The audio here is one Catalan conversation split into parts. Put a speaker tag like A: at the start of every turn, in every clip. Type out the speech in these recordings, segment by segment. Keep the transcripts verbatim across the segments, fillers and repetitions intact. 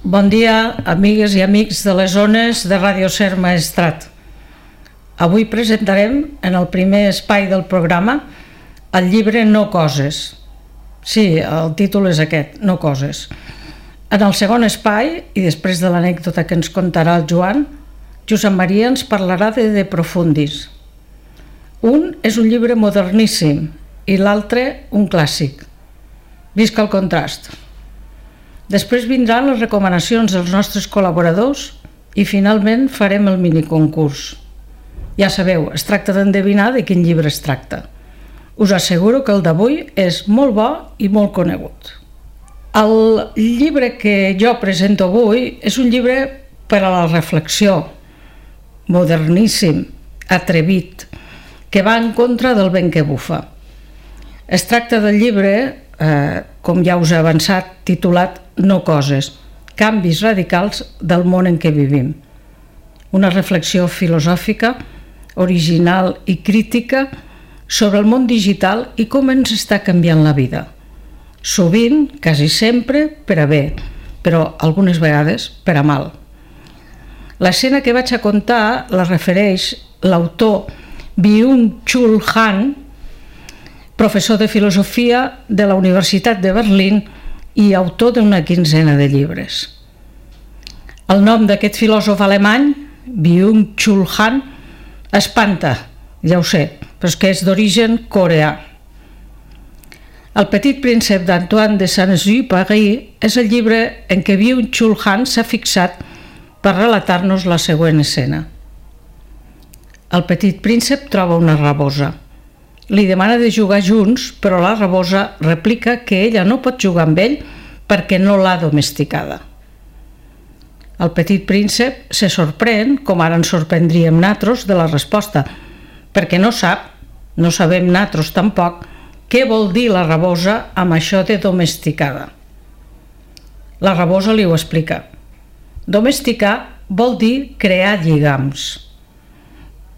A: Bon dia, amigues i amics de les zones de Ràdio Ser Maestrat. Avui presentarem, en el primer espai del programa, el llibre No Coses. Sí, el títol és aquest, No Coses. En el segon espai, i després de l'anècdota que ens contarà el Joan, Josep Maria ens parlarà de De Profundis. Un és un llibre moderníssim i l'altre un clàssic. Visca el contrast. Després vindran les recomanacions dels nostres col·laboradors i finalment farem el miniconcurs. Ja sabeu, es tracta d'endevinar de quin llibre es tracta. Us asseguro que el d'avui és molt bo i molt conegut. El llibre que jo presento avui és un llibre per a la reflexió, moderníssim, atrevit, que va en contra del vent que bufa. Es tracta del llibre, eh, com ja us he avançat, titulat No Coses, canvis radicals del món en què vivim. Una reflexió filosòfica, original i crítica sobre el món digital i com ens està canviant la vida. Sovint, quasi sempre, per a bé, però algunes vegades per a mal. L'escena que vaig a contar la refereix l'autor Byung-Chul Han, professor de filosofia de la Universitat de Berlín i autor d'una quinzena de llibres. El nom d'aquest filòsof alemany, Byung-Chul Han, espanta, ja ho sé, però és que és d'origen coreà. El Petit príncep d'Antoine de Saint-Exupéry és el llibre en què Byung-Chul Han s'ha fixat per relatar-nos la següent escena. El petit príncep troba una rabosa. Li demana de jugar junts, però la rabosa replica que ella no pot jugar amb ell perquè no l'ha domesticada. El petit príncep se sorprèn, com ara ens sorprendríem natros, de la resposta, perquè no sap, no sabem natros tampoc, què vol dir la rabosa amb això de domesticada. La rabosa li ho explica. Domesticar vol dir crear lligams.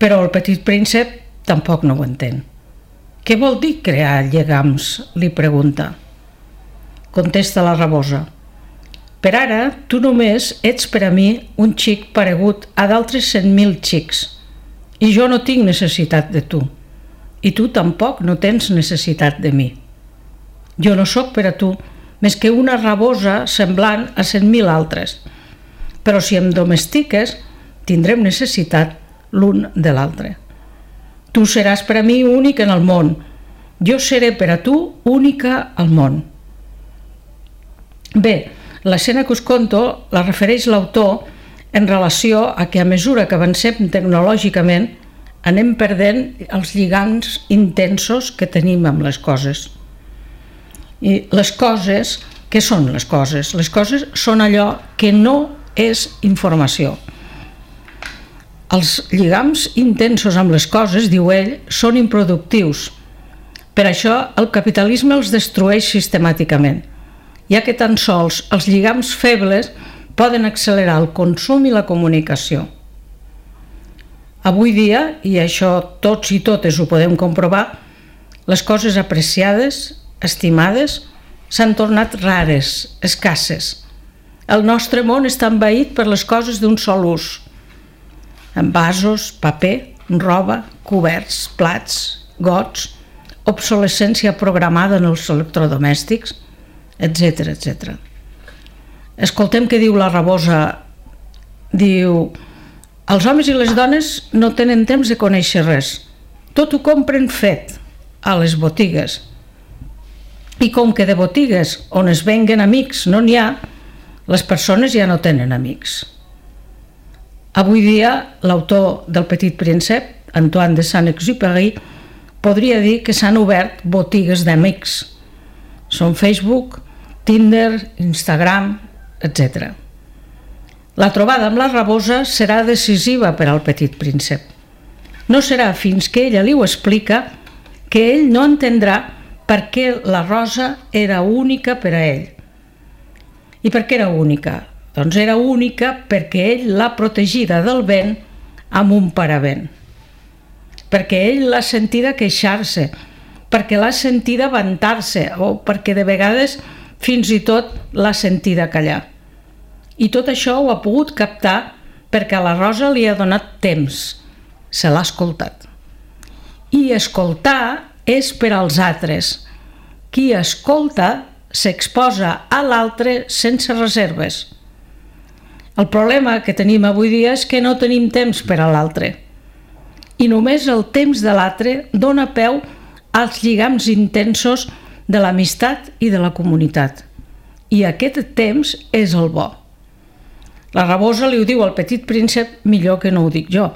A: Però el petit príncep tampoc no ho entén. Què vol dir crear lligams? Li pregunta. Contesta la rabosa. Per ara, tu només ets per a mi un xic paregut a d'altres cent mil xics i jo no tinc necessitat de tu i tu tampoc no tens necessitat de mi. Jo no sóc per a tu més que una rabosa semblant a cent mil altres, però si em domestiques tindrem necessitat l'un de l'altre. Tu seràs per a mi únic en el món. Jo seré per a tu única al món. Bé, l'escena que us conto la refereix l'autor en relació a que a mesura que avancem tecnològicament anem perdent els lligams intensos que tenim amb les coses. I les coses, què són les coses? Les coses són allò que no és informació. Els lligams intensos amb les coses, diu ell, són improductius. Per això el capitalisme els destrueix sistemàticament, ja que tan sols els lligams febles poden accelerar el consum i la comunicació. Avui dia, i això tots i totes ho podem comprovar, les coses apreciades, estimades, s'han tornat rares, escasses. El nostre món està envaït per les coses d'un sol ús. Envasos, paper, roba, coberts, plats, gots, obsolescència programada en els electrodomèstics, etcètera, etcètera. Escoltem què diu la rabosa. Diu: els homes i les dones no tenen temps de conèixer res. Tot ho compren fet a les botigues. I com que de botigues on es venguen amics no n'hi ha, les persones ja no tenen amics. Avui dia, l'autor del Petit príncep, Antoine de Saint-Exupéry, podria dir que s'han obert botigues d'amics. Són Facebook, Tinder, Instagram, etcètera. La trobada amb la rabosa serà decisiva per al Petit príncep. No serà fins que ella li ho explica que ell no entendrà per què la rosa era única per a ell. I per què era única? Doncs era única perquè ell l'ha protegida del vent amb un paravent. Perquè ell l'ha sentida queixar-se, perquè l'ha sentida vantar-se o perquè de vegades fins i tot l'ha sentida callar. I tot això ho ha pogut captar perquè la Rosa li ha donat temps, se l'ha escoltat. I escoltar és per als altres. Qui escolta s'exposa a l'altre sense reserves. El problema que tenim avui dia és que no tenim temps per a l'altre. I només el temps de l'altre dona peu als lligams intensos de l'amistat i de la comunitat. I aquest temps és el bo. La Rabosa li ho diu al Petit Príncep millor que no ho dic jo.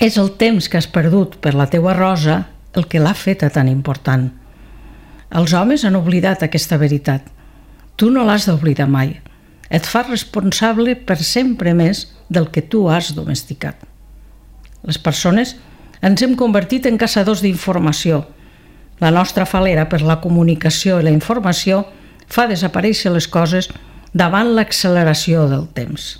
A: És el temps que has perdut per la teua Rosa el que l'ha feta tan important. Els homes han oblidat aquesta veritat. Tu no l'has d'oblidar mai. Et fas responsable per sempre més del que tu has domesticat. Les persones ens hem convertit en caçadors d'informació. La nostra falera per la comunicació i la informació fa desaparèixer les coses davant l'acceleració del temps.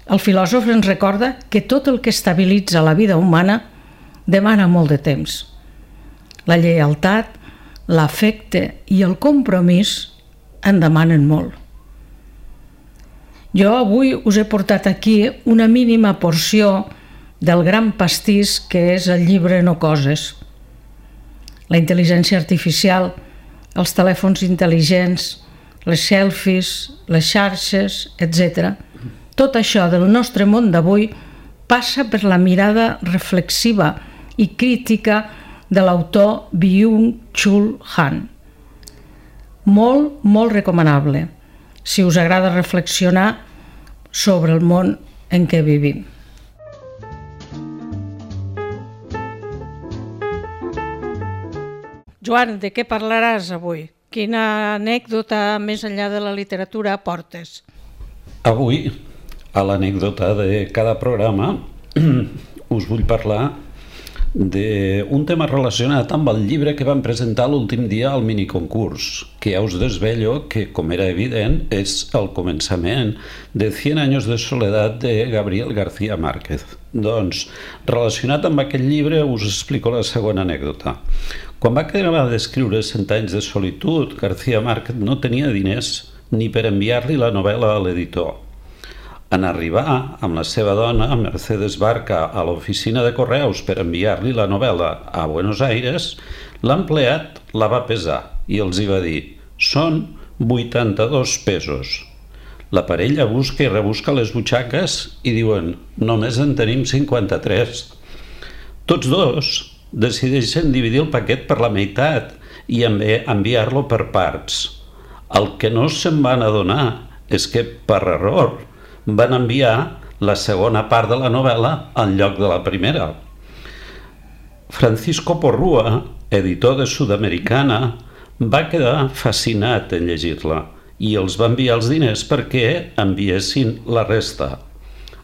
A: El filòsof ens recorda que tot el que estabilitza la vida humana demana molt de temps. La lleialtat, l'afecte i el compromís en demanen molt. Jo avui us he portat aquí una mínima porció del gran pastís que és el llibre No coses. La intel·ligència artificial, els telèfons intel·ligents, les selfies, les xarxes, etcètera. Tot això del nostre món d'avui passa per la mirada reflexiva i crítica de l'autor Byung-Chul Han. Molt, molt recomanable, si us agrada reflexionar sobre el món en què vivim. Joan, de què parlaràs avui? Quina anècdota més enllà de la literatura portes?
B: Avui, a l'anècdota de cada programa, us vull parlar d'un tema relacionat amb el llibre que vam presentar l'últim dia al miniconcurs, que ja us desvello que, com era evident, és el començament de Cien años de soledad de Gabriel García Márquez. Doncs, relacionat amb aquest llibre, us explico la segona anècdota. Quan va acabar d'escriure Cent anys de solitud, García Márquez no tenia diners ni per enviar-li la novel·la a l'editor. En arribar amb la seva dona, Mercedes Barca, a l'oficina de correus per enviar-li la novel·la a Buenos Aires, l'empleat la va pesar i els hi va dir: són vuitanta-dos pesos. La parella busca i rebusca les butxaques i diuen: només en tenim cinquanta-tres. Tots dos decideixen dividir el paquet per la meitat i enviar-lo per parts. El que no se'n van adonar és que, per error, van enviar la segona part de la novel·la en lloc de la primera. Francisco Porrúa, editor de Sudamericana, va quedar fascinat en llegir-la i els va enviar els diners perquè enviessin la resta.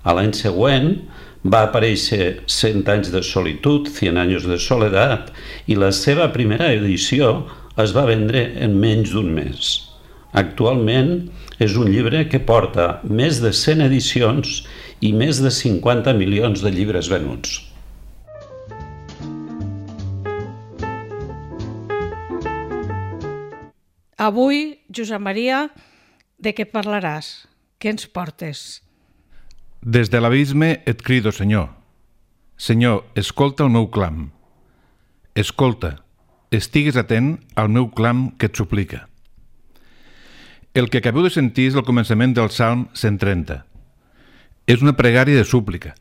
B: A l'any següent va aparèixer Cent anys de solitud, Cien años de soledad, i la seva primera edició es va vendre en menys d'un mes. Actualment és un llibre que porta més de cent edicions i més de cinquanta milions de llibres venuts.
A: Avui, Josep Maria, de què parlaràs? Què ens portes?
C: Des de l'abisme et crido, Senyor. Senyor, escolta el meu clam. Escolta, estigues atent al meu clam que et suplica. El que acabeu de sentir és el començament del Salm cent trenta. És una pregària de súplica,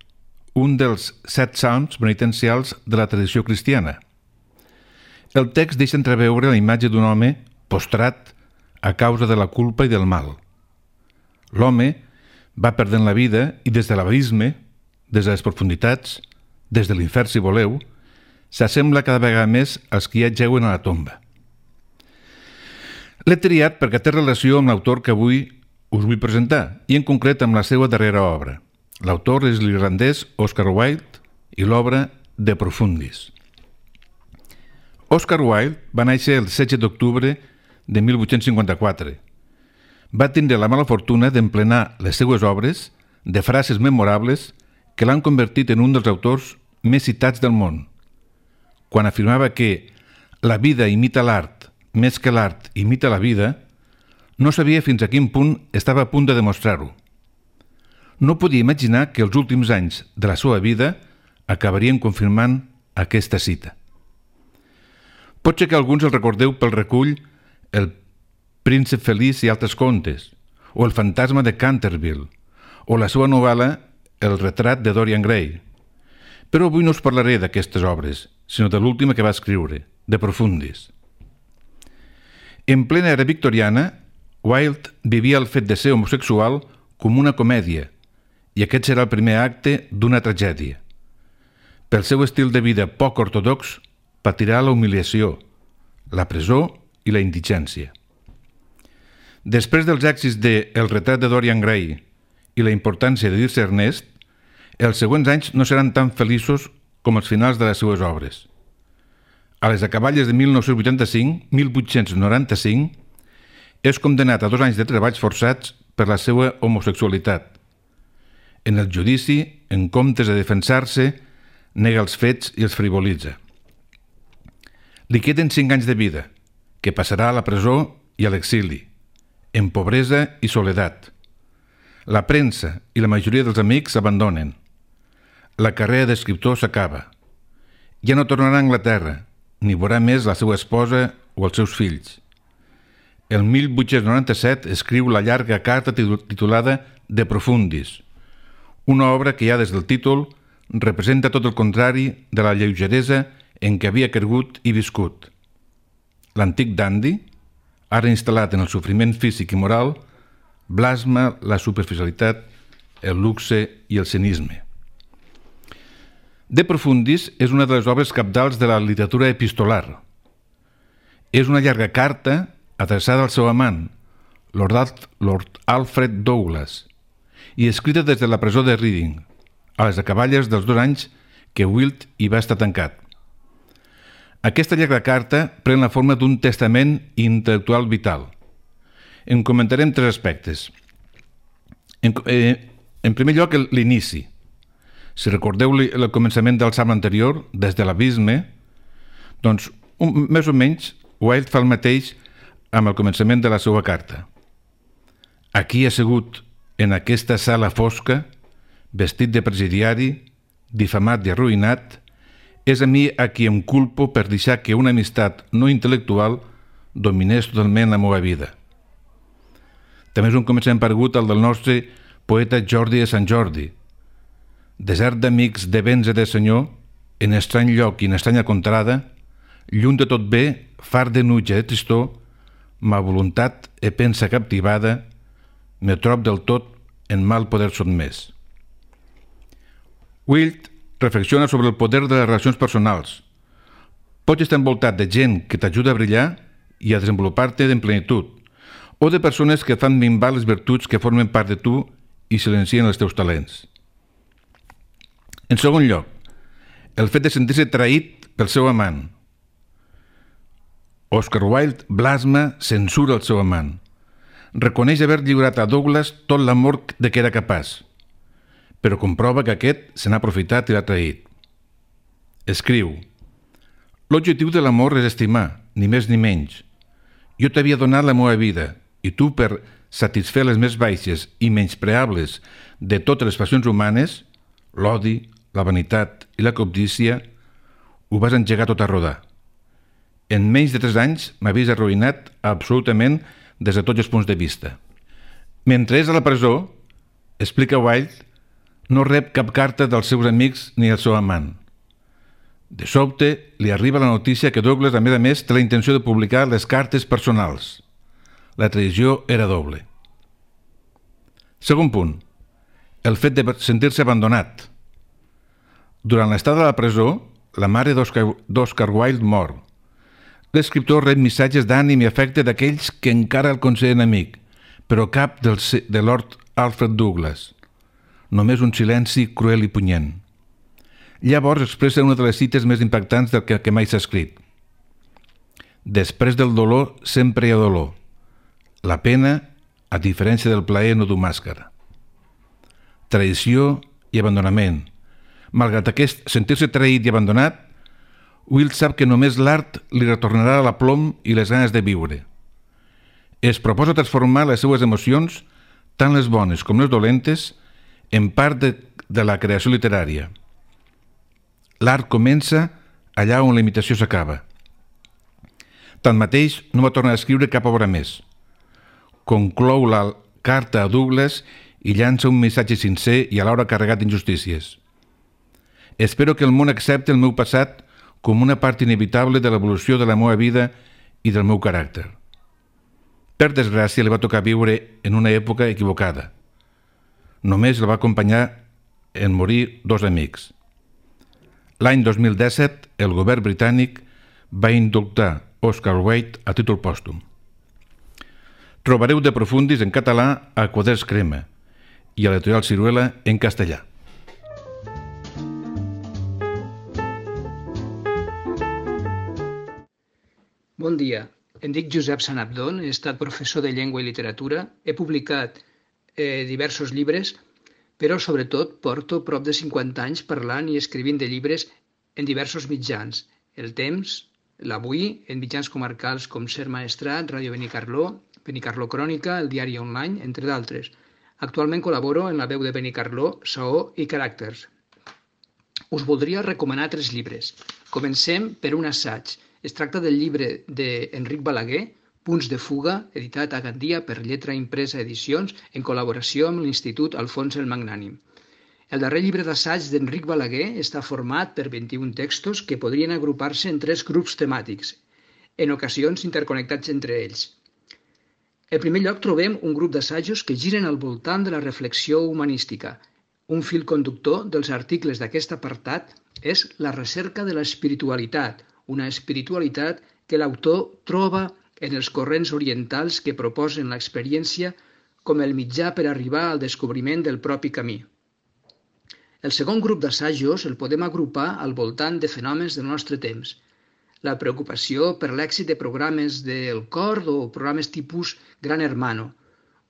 C: un dels set salms penitencials de la tradició cristiana. El text deixa entreveure la imatge d'un home postrat a causa de la culpa i del mal. L'home va perdent la vida i des de l'abisme, des de les profunditats, des de l'infern si voleu, s'assembla cada vegada més als que ja jeuen a la tomba. L'he triat perquè té relació amb l'autor que avui us vull presentar, i en concret amb la seva darrera obra. L'autor és l'irlandès Oscar Wilde i l'obra De Profundis. Oscar Wilde va néixer el setze d'octubre de mil vuit-cents cinquanta-quatre. Va tindre la mala fortuna d'emplenar les seues obres de frases memorables que l'han convertit en un dels autors més citats del món. Quan afirmava que la vida imita l'art més que l'art imita la vida, No sabia fins a quin punt estava a punt de demostrar-ho. No podia imaginar que els últims anys de la seva vida acabarien confirmant aquesta cita. Pot ser que alguns el recordeu pel recull El príncep feliç i altres contes, o El fantasma de Canterville, o la seva novel·la El retrat de Dorian Gray. Però avui no us parlaré d'aquestes obres, sinó de l'última que va escriure, De Profundis. En plena era victoriana, Wilde vivia el fet de ser homosexual com una comèdia, i aquest serà el primer acte d'una tragèdia. Pel seu estil de vida poc ortodox, patirà la humiliació, la presó i la indigència. Després dels èxits de El retrat de Dorian Gray i la importància de dir-se Ernest, els següents anys no seran tan feliços com els finals de les seues obres. A les acaballes de mil nou-cents vuitanta-cinc mil vuit-cents noranta-cinc és condemnat a dos anys de treballs forçats per la seva homosexualitat. En el judici, en comptes de defensar-se, nega els fets i els frivolitza. Li queden cinc anys de vida, que passarà a la presó i a l'exili, en pobresa i soledat. La premsa i la majoria dels amics s'abandonen. La carrera d'escriptor s'acaba. Ja no tornarà a Anglaterra, ni veurà més la seva esposa o els seus fills. El mil vuit-cents noranta-set escriu la llarga carta titulada De Profundis, una obra que ja des del títol representa tot el contrari de la lleugeresa en què havia cregut i viscut. L'antic dandy, ara instal·lat en el sofriment físic i moral, blasma la superficialitat, el luxe i el cinisme. De Profundis és una de les obres cabdals de la literatura epistolar. És una llarga carta adreçada al seu amant, Lord, Lord Alfred Douglas, i escrita des de la presó de Reading, a les acaballes dels dos anys que Wilde hi va estar tancat. Aquesta llarga carta pren la forma d'un testament intel·lectual vital. En comentarem tres aspectes. En, eh, en primer lloc, l'inici. Si recordeu el començament del salm anterior, des de l'abisme, doncs, un, més o menys, Wilde fa el mateix amb el començament de la seva carta. Aquí assegut en aquesta sala fosca, vestit de presidiari, difamat i arruïnat, és a mi a qui em culpo per deixar que una amistat no intel·lectual dominés totalment la meva vida. També és un començament paregut al del nostre poeta Jordi de Sant Jordi. Desert d'amics, de béns i de senyor, en estrany lloc i en estranya contrada, lluny de tot bé, far de nuja de tristor, ma voluntat e pensa captivada, me trob del tot en mal poder sotmès. Wilde reflexiona sobre el poder de les relacions personals. Pots estar envoltat de gent que t'ajuda a brillar i a desenvolupar-te en plenitud, o de persones que fan minvar les virtuts que formen part de tu i silencien els teus talents. En segon lloc, el fet de sentir-se traït pel seu amant. Oscar Wilde blasma, censura el seu amant. Reconeix haver lliurat a Douglas tot l'amor de què era capaç, però comprova que aquest se n'ha aprofitat i l'ha traït. Escriu: l'objectiu de l'amor és estimar, ni més ni menys. Jo t'havia donat la meva vida, i tu, per satisfer les més baixes i menyspreables de totes les passions humanes, l'odi, la vanitat i la cobdícia, ho vas engegar tot a rodar. En menys de tres anys m'havies arruïnat absolutament des de tots els punts de vista. Mentre és a la presó, explica Wilde, no rep cap carta dels seus amics ni del seu amant. De sobte, li arriba la notícia que Douglas, a més a més, té la intenció de publicar les cartes personals. La traïció era doble. Segon punt, el fet de sentir-se abandonat. Durant l'estada a la presó, la mare d'Oscar Wilde mor. L'escriptor rep missatges d'ànim i afecte d'aquells que encara el consideren amic, però cap del, de Lord Alfred Douglas. Només un silenci cruel i punyent. Llavors expressa una de les cites més impactants del que, que mai s'ha escrit. Després del dolor sempre hi ha dolor. La pena, a diferència del plaer, no du màscara. Traïció i abandonament. Malgrat aquest sentir-se traït i abandonat, Wilde sap que només l'art li retornarà la plom i les ganes de viure. Es proposa transformar les seues emocions, tant les bones com les dolentes, en part de, de la creació literària. L'art comença allà on la imitació s'acaba. Tanmateix, no va tornar a escriure cap obra més. Conclou la carta a Douglas i llança un missatge sincer i alhora carregat d'injustícies. Espero que el món accepti el meu passat com una part inevitable de l'evolució de la meva vida i del meu caràcter. Per desgràcia, li va tocar viure en una època equivocada. Només el va acompanyar en morir dos amics. L'any dos mil disset, el govern britànic va indultar Oscar Wilde a títol pòstum. Trobareu De Profundis en català a Quaderns Crema i a l'editorial Ciruela en castellà.
D: Bon dia, em dic Josep Sanabdon, he estat professor de llengua i literatura, he publicat eh, diversos llibres, però sobretot porto prop de cinquanta anys parlant i escrivint de llibres en diversos mitjans. El Temps, l'Avui, en mitjans comarcals com Ser Maestrat, Ràdio Benicarló, Benicarló Crònica, el Diari Online, entre d'altres. Actualment col·laboro en La Veu de Benicarló, Saó i Caràcters. Us voldria recomanar tres llibres. Comencem per un assaig. Es tracta del llibre d'Enric Balaguer, Punts de fuga, editat a Gandia per Lletra Impresa Edicions, en col·laboració amb l'Institut Alfons el Magnànim. El darrer llibre d'assaig d'Enric Balaguer està format per vint-i-un textos que podrien agrupar-se en tres grups temàtics, en ocasions interconnectats entre ells. En primer lloc trobem un grup d'assajos que giren al voltant de la reflexió humanística. Un fil conductor dels articles d'aquest apartat és la recerca de l'espiritualitat, una espiritualitat que l'autor troba en els corrents orientals que proposen l'experiència com el mitjà per arribar al descobriment del propi camí. El segon grup d'assajos el podem agrupar al voltant de fenòmens del nostre temps. La preocupació per l'èxit de programes del cor o programes tipus Gran Hermano,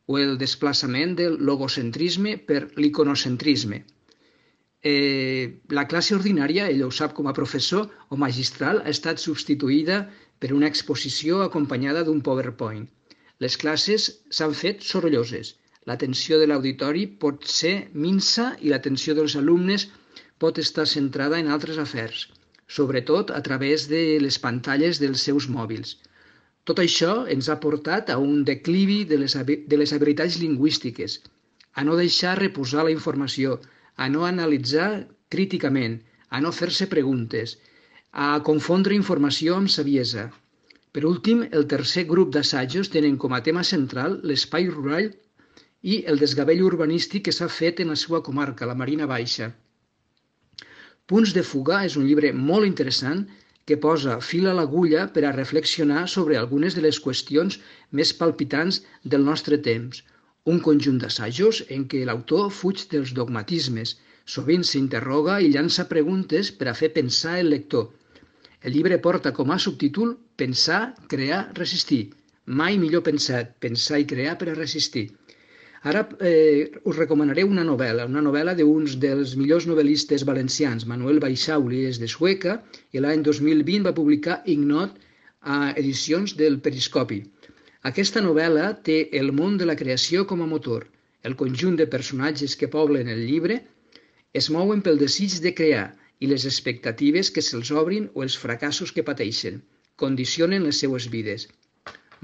D: o el desplaçament del logocentrisme per l'iconocentrisme. Eh, la classe ordinària, ell ho sap com a professor o magistral, ha estat substituïda per una exposició acompanyada d'un PowerPoint. Les classes s'han fet sorolloses. L'atenció de l'auditori pot ser minsa i l'atenció dels alumnes pot estar centrada en altres afers, sobretot a través de les pantalles dels seus mòbils. Tot això ens ha portat a un declivi de les, de les habilitats lingüístiques, a no deixar reposar la informació, a no analitzar críticament, a no fer-se preguntes, a confondre informació amb saviesa. Per últim, el tercer grup d'assajos tenen com a tema central l'espai rural i el desgavell urbanístic que s'ha fet en la seva comarca, la Marina Baixa. Punts de fuga és un llibre molt interessant que posa fil a l'agulla per a reflexionar sobre algunes de les qüestions més palpitants del nostre temps. Un conjunt d'assajos en què l'autor fuig dels dogmatismes, sovint s'interroga i llança preguntes per a fer pensar el lector. El llibre porta com a subtítol Pensar, crear, resistir. Mai millor pensat, pensar i crear per a resistir. Ara eh, us recomanaré una novel·la, una novel·la d'uns dels millors novel·listes valencians, Manuel Baixauli, és de Sueca, i l'any dos mil vint va publicar Ignot a edicions del Periscopi. Aquesta novel·la té el món de la creació com a motor. El conjunt de personatges que poblen el llibre es mouen pel desig de crear i les expectatives que se'ls obrin o els fracassos que pateixen condicionen les seues vides.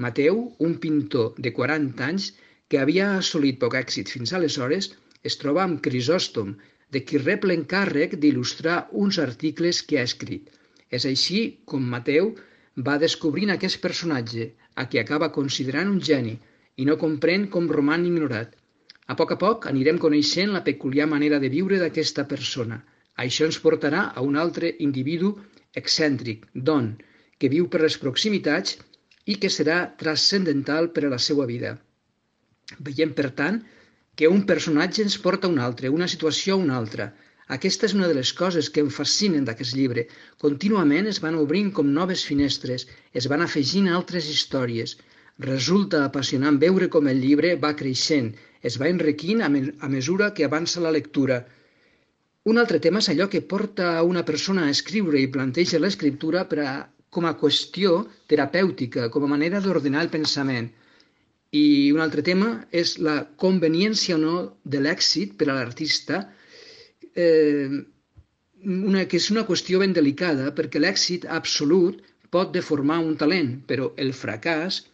D: Mateu, un pintor de quaranta anys que havia assolit poc èxit fins aleshores, es troba amb Crisòstom, de qui rep l'encàrrec d'il·lustrar uns articles que ha escrit. És així com Mateu va descobrint aquest personatge, a qui acaba considerant un geni, i no comprèn com roman ignorat. A poc a poc anirem coneixent la peculiar manera de viure d'aquesta persona. Això ens portarà a un altre individu excèntric, Don, que viu per les proximitats i que serà transcendental per a la seva vida. Veiem, per tant, que un personatge ens porta a un altre, una situació a una altra. Aquesta és una de les coses que em fascinen d'aquest llibre. Contínuament es van obrint com noves finestres, es van afegint altres històries. Resulta apassionant veure com el llibre va creixent, es va enriquint a, me a mesura que avança la lectura. Un altre tema és allò que porta a una persona a escriure i planteja l'escriptura per a, com a qüestió terapèutica, com a manera d'ordenar el pensament. I un altre tema és la conveniència o no de l'èxit per a l'artista, eh, una, que és una qüestió ben delicada, perquè l'èxit absolut pot deformar un talent, però el fracàs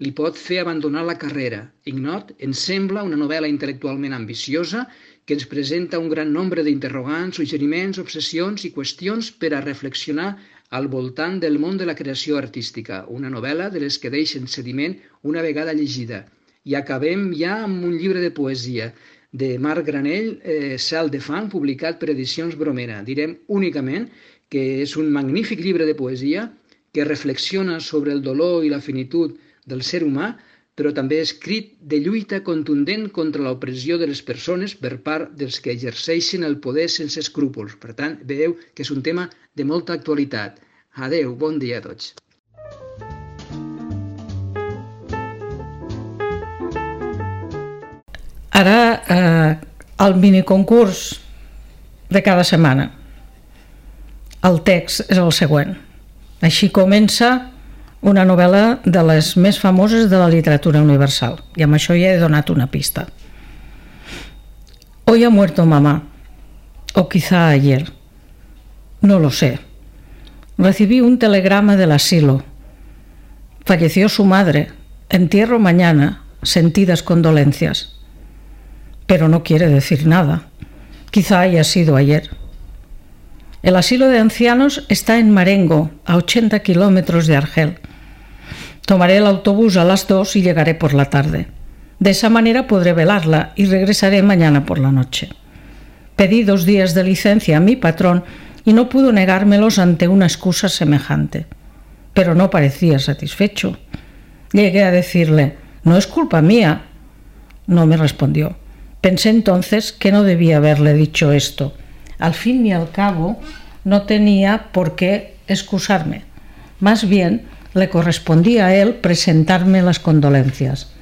D: li pot fer abandonar la carrera. Ignot ens sembla una novel·la intel·lectualment ambiciosa que ens presenta un gran nombre d'interrogants, suggeriments, obsessions i qüestions per a reflexionar al voltant del món de la creació artística. Una novel·la de les que deixen sediment una vegada llegida. I acabem ja amb un llibre de poesia de Marc Granell, eh, Cel de fang, publicat per Edicions Bromera. Direm únicament que és un magnífic llibre de poesia que reflexiona sobre el dolor i la finitud del ser humà, però també escrit de lluita contundent contra l'opressió de les persones per part dels que exerceixen el poder sense escrúpols. Per tant, veieu que és un tema de molta actualitat. Adeu, bon dia a tots.
A: Ara, eh, el miniconcurs de cada setmana. El text és el següent. Així comença una novel·la de les més famoses de la literatura universal. I amb això ja he donat una pista. Hoy ha muerto mamá, o quizá ayer. No lo sé. Recibí un telegrama del asilo. Falleció su madre. Entierro mañana. Sentidas condolencias. Pero no quiere decir nada. Quizá haya sido ayer. El asilo de ancianos está en Marengo, a ochenta kilómetros de Argel. Tomaré el autobús a las dos y llegaré por la tarde. De esa manera podré velarla y regresaré mañana por la noche. Pedí dos días de licencia a mi patrón y no pudo negármelos ante una excusa semejante. Pero no parecía satisfecho. Llegué a decirle, no es culpa mía. No me respondió. Pensé entonces que no debía haberle dicho esto. Al fin y al cabo, no tenía por qué excusarme. Más bien, le correspondía a él presentarme las condolencias.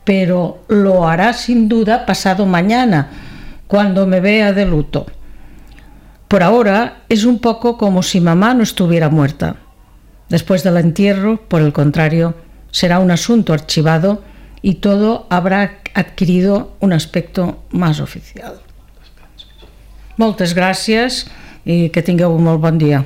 A: Pero lo hará sin duda pasado mañana, cuando me vea de luto. Por ahora es un poco como si mamá no estuviera muerta. Después del entierro, por el contrario, será un asunto archivado y todo habrá adquirido un aspecto más oficial. Moltes gràcies i que tingueu un molt bon dia.